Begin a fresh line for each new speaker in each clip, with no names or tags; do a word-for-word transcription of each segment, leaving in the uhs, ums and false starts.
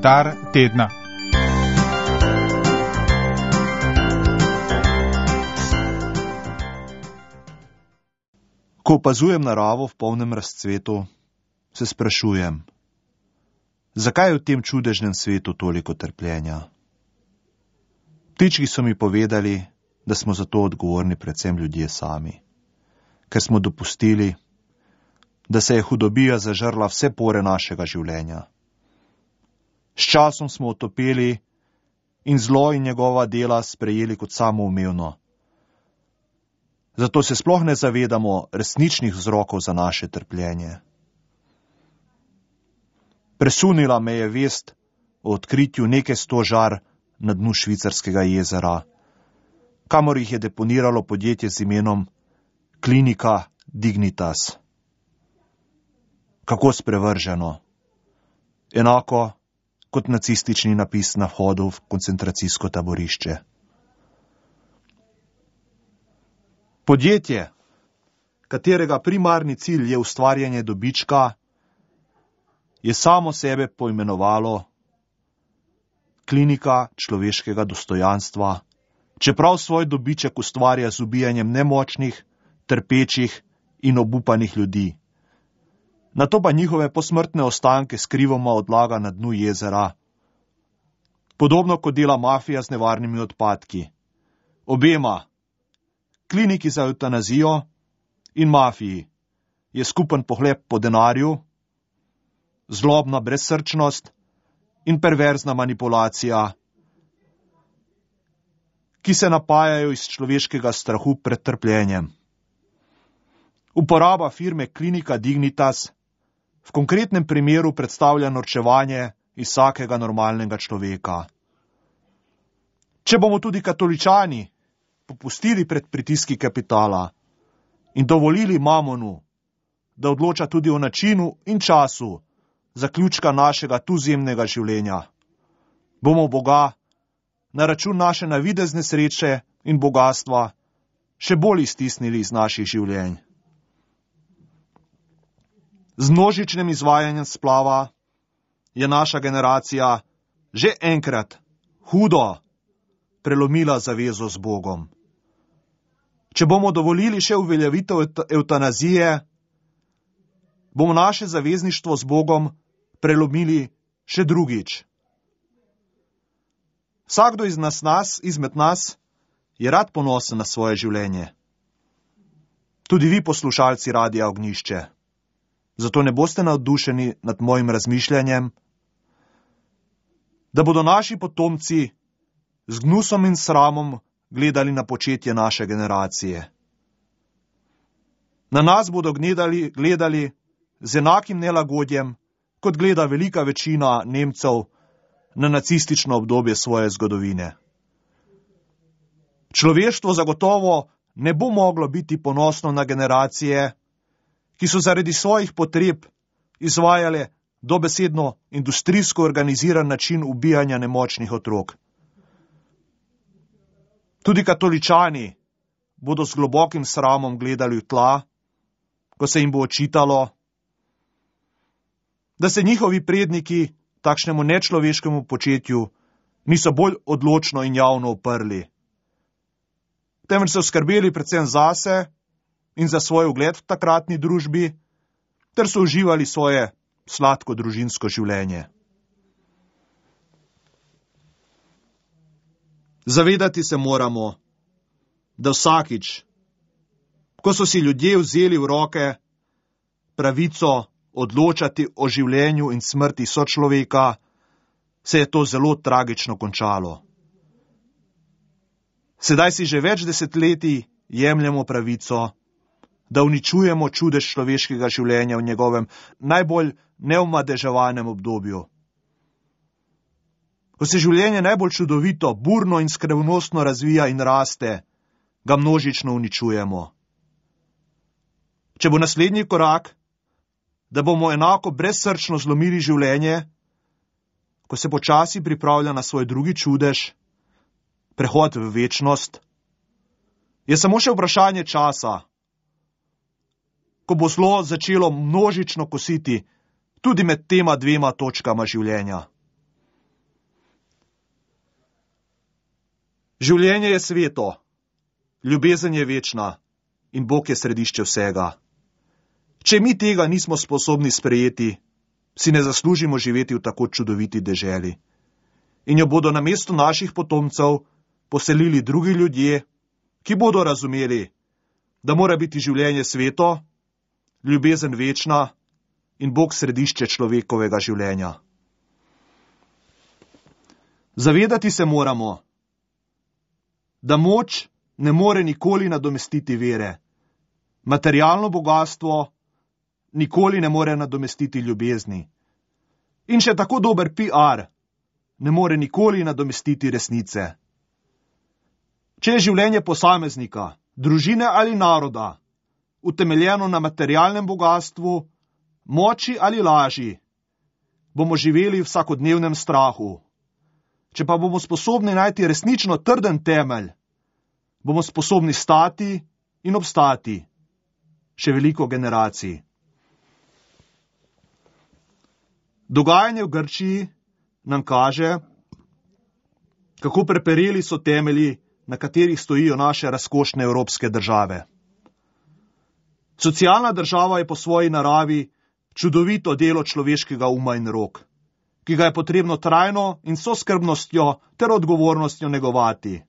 Komentar tedna.
Ko opazujem naravo v polnem razcvetu, se sprašujem, zakaj je v tem čudežnem svetu toliko trpljenja? Ptički so mi povedali, da smo za to odgovorni predvsem ljudje sami, ker smo dopustili, da se je hudobija zažrla vse pore našega življenja. S časom smo otopeli in zlo in njegova dela sprejeli kot samoumevno. Zato se sploh ne zavedamo resničnih vzrokov za naše trpljenje. Presunila me je vest o odkritju neke sto žar na dnu švicarskega jezera, kamor jih je deponiralo podjetje z imenom Klinika Dignitas. Kako sprevrženo. Enako kot nacistični napis na vhodu v koncentracijsko taborišče. Podjetje, katerega primarni cilj je ustvarjanje dobička, je samo sebe poimenovalo Klinika človeškega dostojanstva, čeprav svoj dobiček ustvarja z ubijanjem nemočnih, trpečih in obupanih ljudi. Nato pa njihove posmrtne ostanke skrivoma odlaga na dnu jezera. Podobno kot dela mafija z nevarnimi odpadki. Obema, kliniki za evtanazijo in mafiji, je skupen pohlep po denarju, zlobna brezsrčnost in perverzna manipulacija, ki se napajajo iz človeškega strahu pred trpljenjem. Uporaba firme Klinika Dignitas v konkretnem primeru predstavlja norčevanje iz vsakega normalnega človeka. Če bomo tudi katoličani popustili pred pritiski kapitala in dovolili mamonu, da odloča tudi o načinu in času zaključka našega tuzemnega življenja, bomo Boga na račun naše navidezne sreče in bogastva še bolj iztisnili iz naših življenj. Z množičnim izvajanjem splava je naša generacija že enkrat hudo prelomila zavezo z Bogom. Če bomo dovolili še uveljavitev evtanazije, bomo naše zavezništvo z Bogom prelomili še drugič. Vsakdo iz nas, nas, izmed nas je rad ponosen na svoje življenje. Tudi vi, poslušalci Radia Ognjišče. Zato ne boste navdušeni nad mojim razmišljanjem, da bodo naši potomci z gnusom in sramom gledali na početje naše generacije. Na nas bodo gledali, gledali z enakim nelagodjem, kot gleda velika večina Nemcev na nacistično obdobje svoje zgodovine. Človeštvo zagotovo ne bo moglo biti ponosno na generacije, ki so zaradi svojih potreb izvajale dobesedno industrijsko organiziran način ubijanja nemočnih otrok. Tudi katoličani bodo z globokim sramom gledali v tla, ko se jim bo očitalo, da se njihovi predniki takšnemu nečloveškemu početju niso bolj odločno in javno uprli, temveč so skrbeli predvsem zase in za svoj ugled v takratni družbi, ter so uživali svoje sladko družinsko življenje. Zavedati se moramo, da vsakič, ko so si ljudje vzeli v roke pravico odločati o življenju in smrti sočloveka, se je to zelo tragično končalo. Sedaj si že več desetletij jemljemo pravico, da uničujemo čudež človeškega življenja v njegovem najbolj neomadeževanem obdobju. Ko se življenje najbolj čudovito, burno in skrivnostno razvija in raste, ga množično uničujemo. Če bo naslednji korak, da bomo enako brezsrčno zlomili življenje, ko se počasi pripravlja na svoj drugi čudež, prehod v večnost, je samo še vprašanje časa, ko bo zlo začelo množično kositi tudi med tema dvema točkama življenja. Življenje je sveto, ljubezen je večna in Bog je središče vsega. Če mi tega nismo sposobni sprejeti, si ne zaslužimo živeti v tako čudoviti deželi. In jo bodo namesto naših potomcev poselili drugi ljudje, ki bodo razumeli, da mora biti življenje sveto, ljubezen večna in Bog središče človekovega življenja. Zavedati se moramo, da moč ne more nikoli nadomestiti vere. Materialno bogastvo nikoli ne more nadomestiti ljubezni. In še tako dober P R ne more nikoli nadomestiti resnice. Če je življenje posameznika, družine ali naroda utemeljeno na materialnem bogatstvu, moči ali laži, bomo živeli v vsakodnevnem strahu. Če pa bomo sposobni najti resnično trden temelj, bomo sposobni stati in obstati še veliko generacij. Dogajanje v Grčiji nam kaže, kako prepereli so temelji, na katerih stojijo naše razkošne evropske države. Socialna država je po svoji naravi čudovito delo človeškega uma in rok, ki ga je potrebno trajno in s skrbnostjo ter odgovornostjo negovati.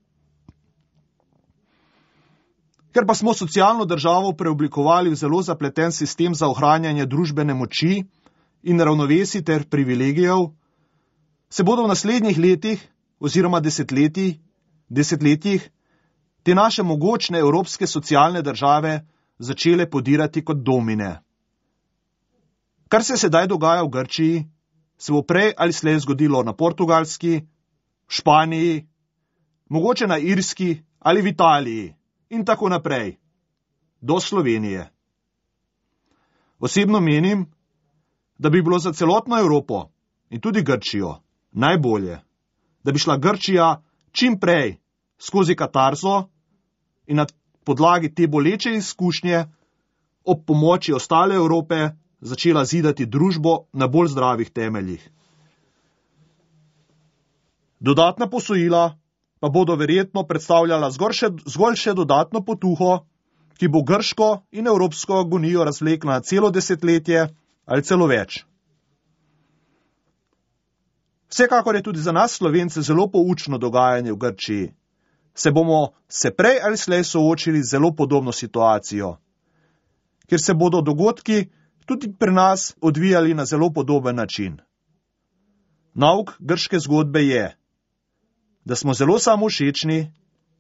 Ker pa smo socialno državo preoblikovali v zelo zapleten sistem za ohranjanje družbene moči in ravnovesij ter privilegijev, se bodo v naslednjih letih oziroma desetletij, desetletjih te naše mogočne evropske socialne države začele podirati kot domine. Kar se sedaj dogaja v Grčiji, se bo prej ali slej zgodilo na Portugalski, v Španiji, mogoče na Irski ali v Italiji in tako naprej, do Slovenije. Osebno menim, da bi bilo za celotno Evropo in tudi Grčijo najbolje, da bi šla Grčija čim prej skozi katarzo in na podlagi te boleče izkušnje ob pomoči ostale Evrope začela zidati družbo na bolj zdravih temeljih. Dodatna posojila pa bodo verjetno predstavljala zgolj še, zgolj še dodatno potuho, ki bo grško in evropsko agonijo razvlekla na celo desetletje ali celo več. Vsekakor je tudi za nas Slovence zelo poučno dogajanje v Grčiji. Se bomo se prej ali slej soočili z zelo podobno situacijo, kjer se bodo dogodki tudi pri nas odvijali na zelo podoben način. Nauk grške zgodbe je, da smo zelo samovšečni,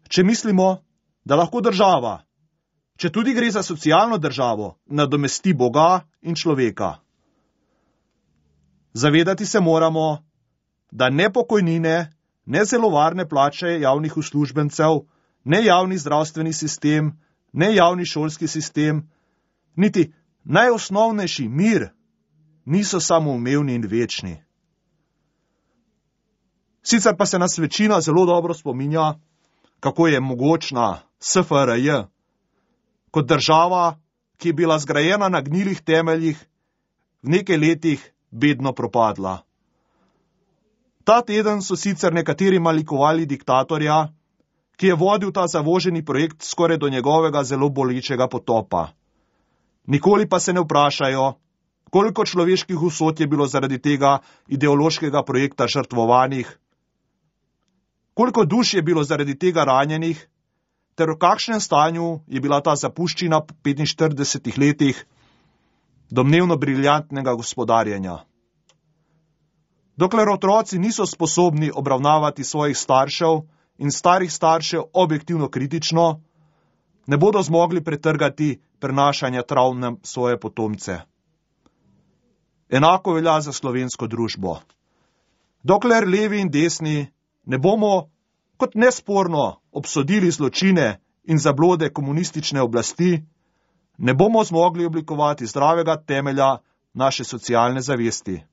če mislimo, da lahko država, če tudi gre za socialno državo, nadomesti Boga in človeka. Zavedati se moramo, da ne pokojnine, ne zelo varne plače javnih uslužbencev, ne javni zdravstveni sistem, ne javni šolski sistem, niti najosnovnejši mir niso samoumevni in večni. Sicer pa se nas večina zelo dobro spominja, kako je mogočna S F R J kot država, ki je bila zgrajena na gnilih temeljih, v nekaj letih bedno propadla. Ta teden so sicer nekateri malikovali diktatorja, ki je vodil ta zavoženi projekt skoraj do njegovega zelo bolečega potopa. Nikoli pa se ne vprašajo, koliko človeških usod je bilo zaradi tega ideološkega projekta žrtvovanih, koliko duš je bilo zaradi tega ranjenih, ter v kakšnem stanju je bila ta zapuščina po petinštiridesetih letih domnevno briljantnega gospodarjenja. Dokler otroci niso sposobni obravnavati svojih staršev in starih staršev objektivno kritično, ne bodo zmogli pretrgati prenašanja travm na svoje potomce. Enako velja za slovensko družbo. Dokler levi in desni ne bomo kot nesporno obsodili zločine in zablode komunistične oblasti, ne bomo zmogli oblikovati zdravega temelja naše socialne zavesti.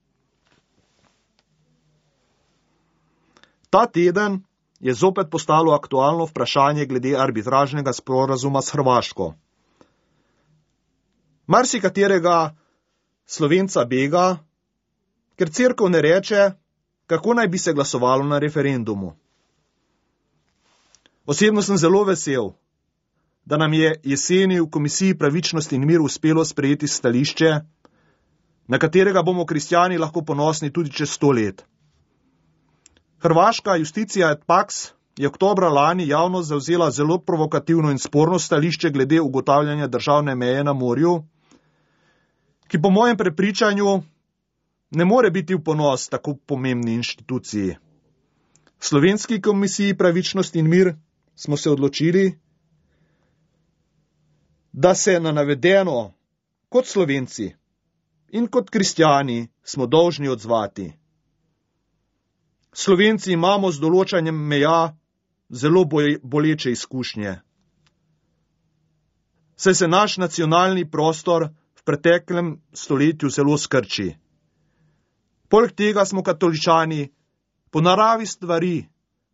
Ta teden je zopet postalo aktualno vprašanje glede arbitražnega sporazuma s Hrvaško. Marsikaterega Slovenca bega, ker cerkev ne reče, kako naj bi se glasovalo na referendumu. Osebno sem zelo vesel, da nam je jeseni v Komisiji pravičnost in mir uspelo sprejeti stališče, na katerega bomo kristjani lahko ponosni tudi čez sto let. Hrvaška justicija et pax je oktobra lani javno zavzela zelo provokativno in sporno stališče glede ugotavljanja državne meje na morju, ki po mojem prepričanju ne more biti v ponos tako pomembni inštituciji. V Slovenski komisiji pravičnost in mir smo se odločili, da se na navedeno kot Slovenci in kot kristjani smo dolžni odzvati. Slovenci imamo z določanjem meja zelo boleče izkušnje. Saj se naš nacionalni prostor v preteklem stoletju zelo skrči. Poleg tega smo katoličani po naravi stvari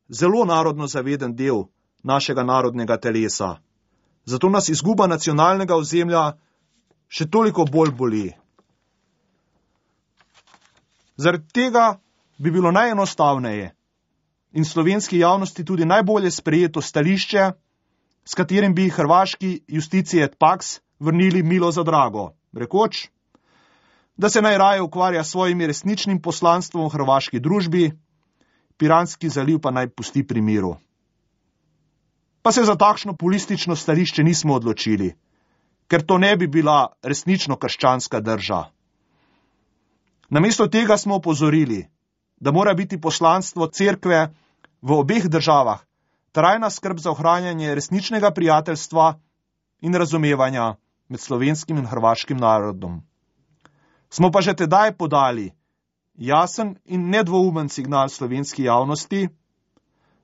zelo narodno zaveden del našega narodnega telesa. Zato nas izguba nacionalnega ozemlja še toliko bolj boli. Zaradi tega bi bilo najenostavneje in slovenski javnosti tudi najbolje sprejeto stališče, s katerim bi hrvaški justiciji et pax vrnili milo za drago, rekoč, da se najraje ukvarja s svojim resničnim poslanstvom v hrvaški družbi, Piranski zaliv pa naj pusti pri miru. Pa se za takšno populistično stališče nismo odločili, ker to ne bi bila resnično krščanska drža. Namesto tega smo opozorili, da mora biti poslanstvo cerkve v obeh državah trajna skrb za ohranjanje resničnega prijateljstva in razumevanja med slovenskim in hrvaškim narodom. Smo pa že tedaj podali jasen in nedvoumen signal slovenski javnosti,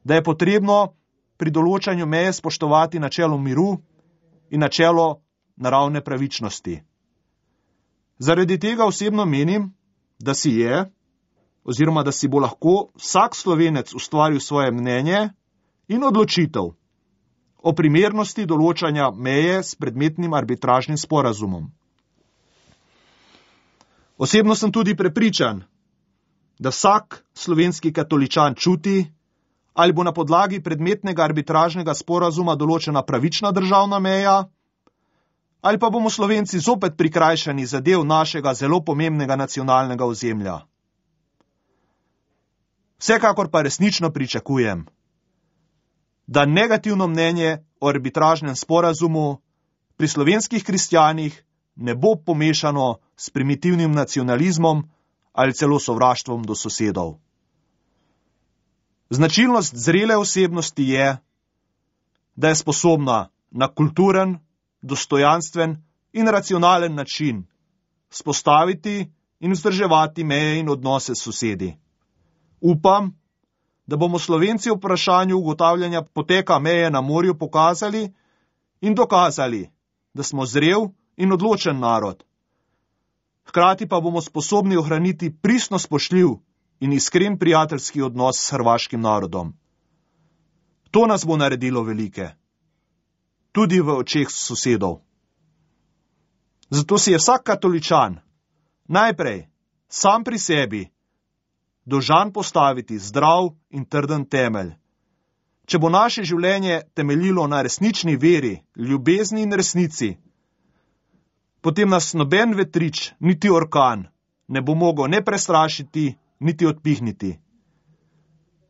da je potrebno pri določanju meje spoštovati načelo miru in načelo naravne pravičnosti. Zaradi tega osebno menim, da si je, oziroma da si bo lahko vsak Slovenec ustvaril svoje mnenje in odločitev o primernosti določanja meje s predmetnim arbitražnim sporazumom. Osebno sem tudi prepričan, da vsak slovenski katoličan čuti, ali bo na podlagi predmetnega arbitražnega sporazuma določena pravična državna meja, ali pa bomo Slovenci zopet prikrajšani za del našega zelo pomembnega nacionalnega ozemlja. Vsekakor pa resnično pričakujem, da negativno mnenje o arbitražnem sporazumu pri slovenskih kristjanih ne bo pomešano s primitivnim nacionalizmom ali celo sovraštvom do sosedov. Značilnost zrele osebnosti je, da je sposobna na kulturen, dostojanstven in racionalen način vzpostaviti in vzdrževati meje in odnose s sosedi. Upam, da bomo Slovenci v vprašanju ugotavljanja poteka meje na morju pokazali in dokazali, da smo zrel in odločen narod. Hkrati pa bomo sposobni ohraniti pristno spoštljiv in iskren prijateljski odnos s hrvaškim narodom. To nas bo naredilo velike, tudi v očeh sosedov. Zato si je vsak katoličan najprej sam pri sebi dolžan postaviti zdrav in trden temelj. Če bo naše življenje temeljilo na resnični veri, ljubezni in resnici, potem nas noben vetrič, niti orkan, ne bo mogel ne prestrašiti, niti odpihniti.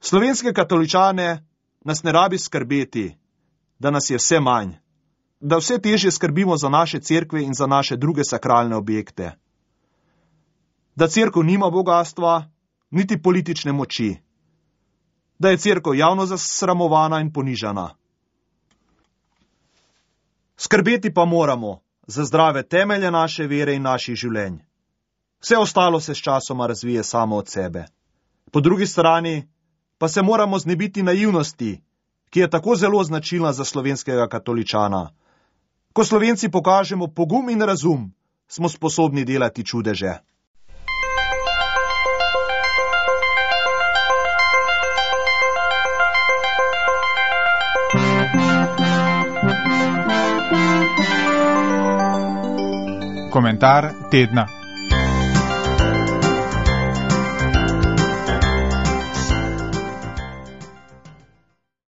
Slovenske katoličane nas ne rabi skrbeti, da nas je vse manj, da vse težje skrbimo za naše cerkve in za naše druge sakralne objekte. Da cerkev nima bogastva, niti politične moči, da je cerkev javno zasramovana in ponižana. Skrbeti pa moramo za zdrave temelje naše vere in naših življenj. Vse ostalo se s časoma razvije samo od sebe. Po drugi strani pa se moramo znebiti naivnosti, ki je tako zelo značilna za slovenskega katoličana. Ko Slovenci pokažemo pogum in razum, smo sposobni delati čudeže.
Komentar tedna.